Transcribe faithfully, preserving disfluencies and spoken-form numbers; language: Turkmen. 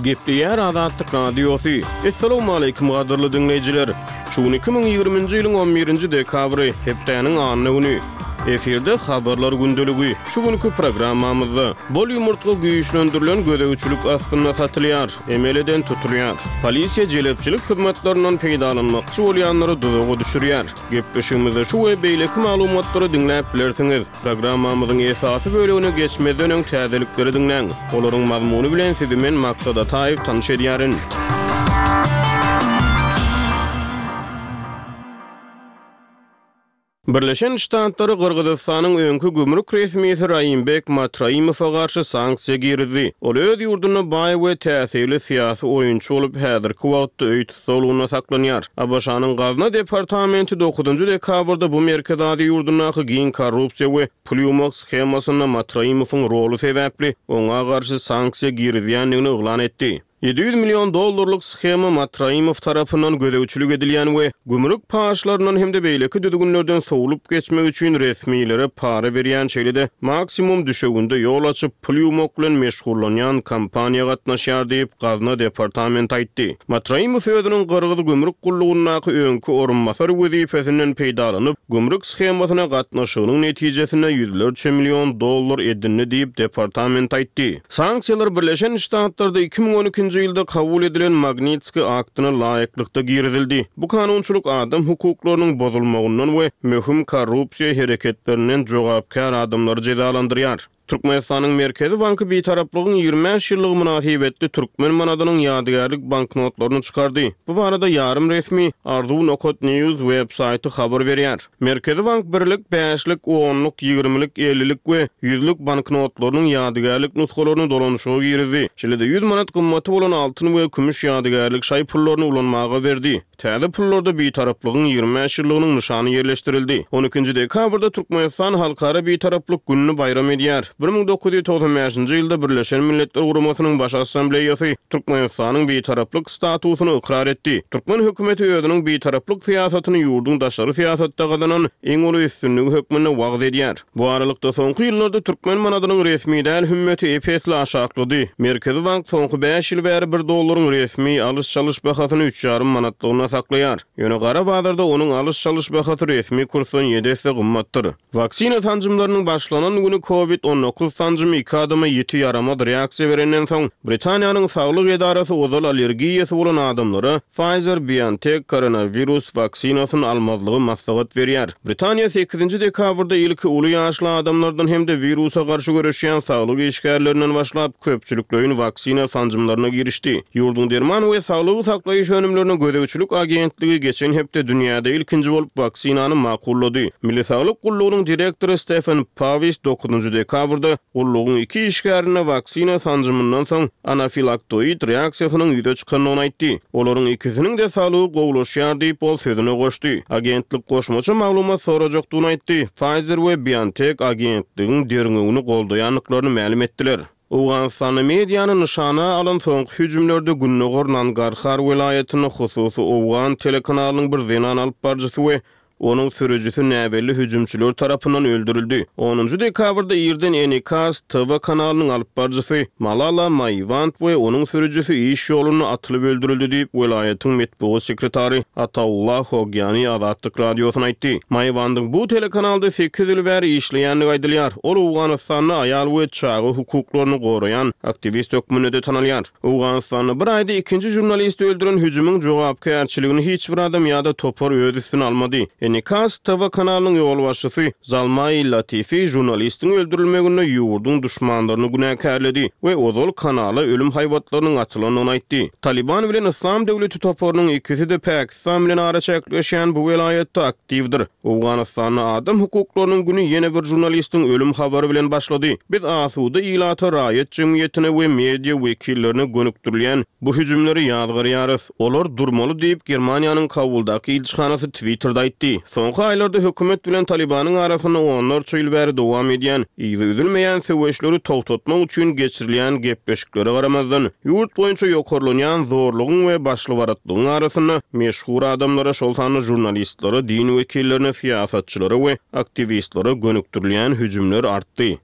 Gepleýär Azatlyk Radiosy. Essalawmaleýkim gadyrly diňleýjiler! Şu gün iki müň ýigriminji ýylyň on birinji dekabry, hepdäniň anna güni. Efirde Habarlar gündeligi. Şu günki programmamyzda, Bol ýumurtga güýçlendirilen gözegçilik astynda satylýar, emel eden tutulýar. Polisiýa jelepçilik hyzmatlaryndan peýdalanmakçy bolýanlary duzaga düşürýär. Gepleşigimizde şu we beýleki maglumatlary diňläp bilersiňiz. Programmamyzyň esasy bölegine geçmezden öň täzelikleri diňläň. Olaryň mazmuny bilen sizi men Maksat Ataýew tanyş edýärin. Birleşen Ştatlary Gyrgyzystanyň öňki gümrük resmisi Raimbek Matraimowa garşy sanksiýa girizdi. Ol öz ýurdunda baý we täsirli syýasy oýunçy bolup, häzirki wagtda öý tussaglygynda saklanýar. ABŞ-nyň Gazna departamenti dokuzynjy dekabrda bu Merkezi Aziýa ýurdundaky giň korrupsiýa we pul ýuwmak shemasynda Matraimowyň roly sebäpli oňa garşy sanksiýa girizýändigini yglan etdi. Ýedi ýüz million dollarlyk shema Matraimow tarapyndan gözegçilik edilýän we gümrük paçlaryndan hem-de beýleki düzgünlerden sowlup geçmek üçin resmilere para berýän, şeýle-de maksimum düşewünde ýol açyp, pul ýuwmak bilen meşgullanýan kompaniýa gatnaşýar diýip, Gazna departamenti aýtdy. Matraimow özüniň Gyrgyz gümrük gullugyndaky öňki orunbasar wezipesinden peýdalanyp, gümrük shemasyna gatnaşygynyň netijesinde ýüzlerçe million dollar edindi diýip, departament aýtdy. Sanksiýalar Birleşen Ştatlarda iki müň on ikinji ýylda kabul edilen Magnitskiý aktyna laýyklykda girizildi. Bu kanunçylyk adam hukuklarynyň bozulmagyndan we möhüm korrupsiýa hereketlerinden jogapkär adamlary jezalandyrýar. Türkmenistanyň Merkezi banky Bitaraplygyň ýigrimi bäş ýyllygy mynasybetli türkmen manadynyň ýadygärlik banknotlaryny çykardy. Bu barada ýarym resmi Arzuw nokat news web saýty habar berýär. Merkezi bank birlik, bäşlik, onluk, ýigrimilik, ellilik we ýüzlük banknotlarynyň ýadygärlik nusgalaryny dolanyşyga girizdi. Şeýle-de ýüz manat gymmaty bolan altyn we kümüş ýadygärlik şaý pullaryny ulanmaga berdi. Täze pullarda Bitaraplygyň ýigrimi bäş ýyllygynyň nyşany ýerleşdirildi. On ikinji dekabrda Türkmenistan Halkara Bitaraplyk gününi baýram edýär. Bir müň dokuz ýüz togsan bäşinji ýylda Birleşen Milletler Guramasynyň Baş Assambleýasy Türkmenistanyň Bitaraplyk statusyny ykrar etdi. Türkmen hökümeti özüniň Bitaraplyk syýasatyny ýurduň daşary syýasatda gazanan iň uly üstünligi hökmünde wagyz edýär. Bu aralykda soňky ýyllarda türkmen manadynyň resmi däl hümmeti ep-esli aşaklady. Merkezi bank soňky bäş ýyl bäri bir dollaryň resmi alyş-çalyş bahasyny üç ýarym manatlygyna saklaýar. Ýöne gara bazarda onuň alyş-çalyş bahasy resmi kursdan ýedi esse gymmatdyr. Waksina sanjymlarynyň başlanan güni kovid on dokuz sanjymy iki adama ýiti ýaramaz reaksiýa berenden soň, Britaniýanyň saglyk edarasy ozal allergiýasy bolan adamlara Pfizer-BioNTech koronawirus waksinasyny almazlygy maslahat berýär. Britaniýa sekizinji dekabrda ilki uly ýaşly adamlardan hem-de wirusa garşy göreşýän saglyk işgärlerinden başlap köpçülikleýin waksina sanjymlaryna girişdi. Ýurduň derman we saglygy saklaýyş önümlerine gözegçilik agentligi geçen hepde dünýäde ilkinji bolup waksinany makullady. Milli saglyk gullugynyň direktory Stefen Pawis dokuzynjy dekabrda gullugyň iki işgärine waksina sanjymyndan soň anafilaktoid reaksiýasynyň ýüze çykandygyny aýtdy. Olaryň ikisiniň-de saglygy gowulaşýar diýip, ol sözüne goşdy. Agentlik goşmaça maglumat sorajakdygyny aýtdy. Pfizer we BioNTech agentligiň derňewini goldaýandyklaryny mälim etdiler. Owganystanda mediany nyşana alan soňky hüjümlerde Gündogar Nangarhar welaýatynda hususy owgan telekanalynyň bir zenan alyp baryjysy we onuň sürüjisi näbelli hüjümçiler tarapyndan öldürildi. Onunjy dekabrda irden Enikas T V kanalynyň alyp baryjysy Malala Maiwand we onuň sürüjisi iş ýolunda atylyp öldürildi diýip, welaýatyň metbugat sekretary Ataullah Hogyani Azatlyk radiosyna aýtdy. Maiwandyň bu telekanalda sekiz ýyl bäri işleýändigi aýdylýar. Ol Owganystanda aýal we çaga hukuklaryny goraýan aktiwist hökmünde-de tanalýar. Owganystanda bir aýda ikinji žurnalisti öldüren hüjümiň jogapkärçiligini hiç bir adam ýa-da topar öz üstüne almady. Enikas T V kanalynyň ýolbaşçysy Zalmai Latifi žurnalistiň öldürilmeginde ýurduň duşmanlaryny günäkärledi we ozal kanala ölüm haýbatlarynyň atylandygyny aýtdy. Taliban bilen Islam döwleti toparynyň ikisi-de Pakistan bilen araçäkleşýän bu welaýatda aktiwdir. Owganystanda adam hukuklarynyň güni ýene bir žurnalistiň ölüm habary bilen başlady. Biz asuda ilata, raýat jemgyýetine we media wekillerine gönükdirilýän bu hüjümleri ýazgarýarys. Olar durmaly diýip, Germaniýanyň Kabuldaky ilçihanasy Twitter'da aýtdy. Soňky aýlarda hökümet bilen Talibanyň arasynda onlarça ýyl bäri dowam edýän, yzy üzülmeýän söweşleri togtatmak üçin geçirilýän gepleşiklere garamazdan, ýurt boýunça ýokarlanýan zorlugyň we başlybaratlygyň arasynda meşhur adamlara, şol sanda žurnalistlere, din wekillerine, syýasatçylara we aktiwistlere gönükdirilýän hüjümler artdy.